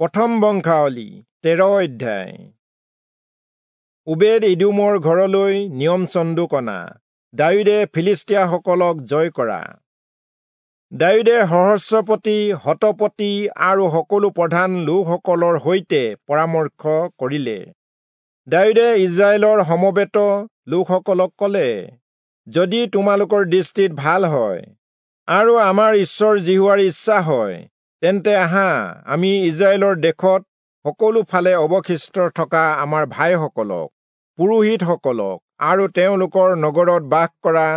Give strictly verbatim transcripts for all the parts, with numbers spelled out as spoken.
প্ৰথম বংশাৱলী তেৰ অধ্যায়। ওবেদ ইদোমৰ ঘৰলৈ নিয়ম চন্দুক অনা, দায়ূদে ফিলিষ্টীয়াসকলক জয় কৰা। দায়ূদে সহস্ৰপতি, শতপতি আৰু সকলো প্ৰধান লোকসকলৰ সৈতে পৰামৰ্শ কৰিলে। দায়ূদে ইজৰাইলৰ সমবেত লোকসকলক কলে, যদি তোমালোকৰ দৃষ্টিত ভাল হয় আৰু আমাৰ ঈশ্বৰ যিহোৱাৰ ইচ্ছা হয়, তেন্তে আহা আমি ইজৰাইলৰ দেশত সকলো ফালে অৱশিষ্ট থকা আমাৰ ভাইসকলক, পুৰোহিতসকলক আৰু তেওঁলোকৰ নগৰত বাস কৰা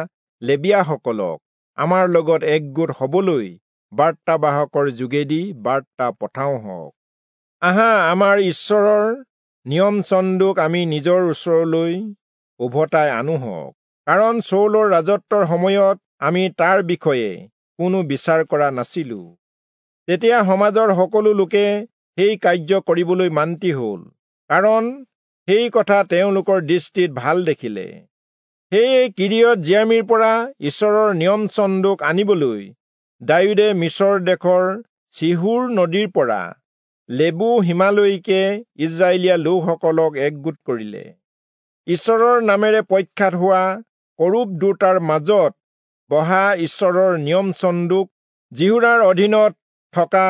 লেবীয়াসকলক আমাৰ লগত একগোট হবলৈ বাৰ্তাবাহকৰ যোগেদি বাৰ্তা পঠাওঁ হওক। আহা আমাৰ ঈশ্বৰৰ নিয়ম চন্দুক আমি নিজৰ ওচৰলৈ উভতাই আনো হওক, কাৰণ চৌলৰ ৰাজত্বৰ সময়ত আমি তাৰ বিষয়ে কোনো বিচাৰ কৰা নাছিলো। তেতিয়া সমাজৰ সকলো লোকে সেই কাৰ্য কৰিবলৈ মান্তি হল, কাৰণ সেই কথা তেওঁলোকৰ দৃষ্টিত ভাল দেখিলে। সেয়ে কিৰিয়ত জিয়ামিৰ পৰা ঈশ্বৰৰ নিয়ম চন্দুক আনিবলৈ দায়ূদে মিছৰ দেশৰ চিহোৰ নদীৰ পৰা লেবু সীমালৈকে ইজৰাইলীয়া লোকসকলক একগোট কৰিলে। ঈশ্বৰৰ নামেৰে প্ৰখ্যাত হোৱা কৰূব দুটাৰ মাজত বহা ঈশ্বৰৰ নিয়ম চন্দুক যিহূদাৰ অধীনত থকা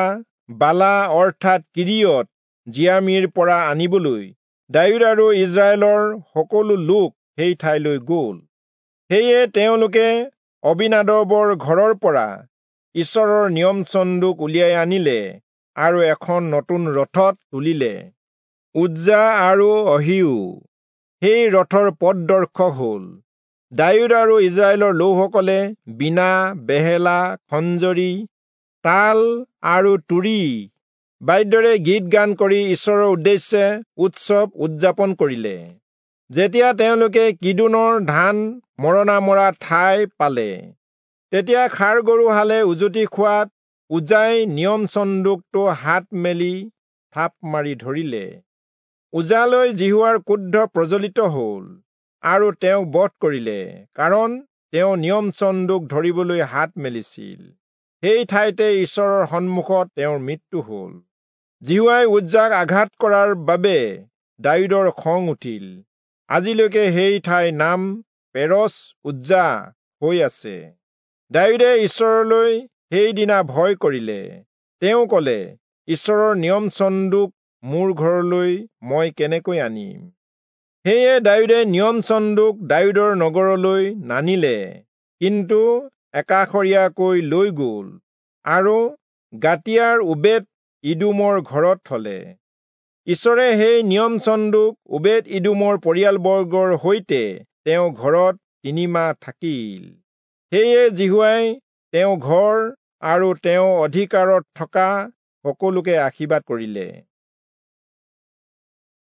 বালা অৰ্থাৎ কিৰিয়ত জিয়ামিৰ পৰা আনিবলৈ দায়ূদ আৰু ইজৰাইলৰ সকলো লোক সেই ঠাইলৈ গ'ল। সেয়ে তেওঁলোকে অবিনাদবৰ ঘৰৰ পৰা ঈশ্বৰৰ নিয়ম চন্দুক উলিয়াই আনিলে আৰু এখন নতুন ৰথত তুলিলে। উজ্জা আৰু অহিও সেই ৰথৰ পথদৰ্শক হ'ল। দায়ূদ আৰু ইজৰাইলৰ লোকসকলে বীণা, বেহেলা, খঞ্জৰী, তাল আৰু তুৰী বাদ্যৰে গীত গান কৰি ঈশ্বৰৰ উদ্দেশ্যে উৎসৱ উদযাপন কৰিলে। যেতিয়া তেওঁলোকে কিদোনৰ ধান মৰণা মৰা ঠাই পালে, তেতিয়া ষাঁড় গৰুহালে উজুটি খোৱাত উজাই নিয়ম চন্দুকটো হাত মেলি থাপ মাৰি ধৰিলে। উজালৈ যিহোৱাৰ ক্ৰোধ প্ৰজ্বলিত হল আৰু তেওঁক বধ কৰিলে, কাৰণ তেওঁ নিয়ম চন্দুক ধৰিবলৈ হাত মেলিছিল। সেই ঠাইতে ঈশ্বৰৰ সন্মুখত তেওঁৰ মৃত্যু হল। যিহোৱাই উজ্জাক আঘাত কৰাৰ বাবে দায়ূদৰ খং উঠিল। আজিলৈকে সেই ঠাইৰ নাম পেৰচ উজ্জা হৈ আছে। দায়ূদে ঈশ্বৰলৈ সেইদিনা ভয় কৰিলে। তেওঁ কলে, ঈশ্বৰৰ নিয়ম চন্দুক মোৰ ঘৰলৈ মই কেনেকৈ আনিম? সেয়ে দায়ূদে নিয়ম চন্দুক দায়ূদৰ নগৰলৈ নানিলে, কিন্তু একাষৰীয়াকৈ লৈ গ'ল আৰু গাতিয়াৰ ওবেদ ইদোমৰ ঘৰত থলে। ঈশ্বৰে সেই নিয়ম চন্দুক ওবেদ ইদোমৰ পৰিয়ালবৰ্গৰ সৈতে তেওঁ ঘৰত তিনিমাহ থাকিল। সেয়ে যিহোৱাই তেওঁ ঘৰ আৰু তেওঁ অধিকাৰত থকা সকলোকে আশীৰ্বাদ কৰিলে।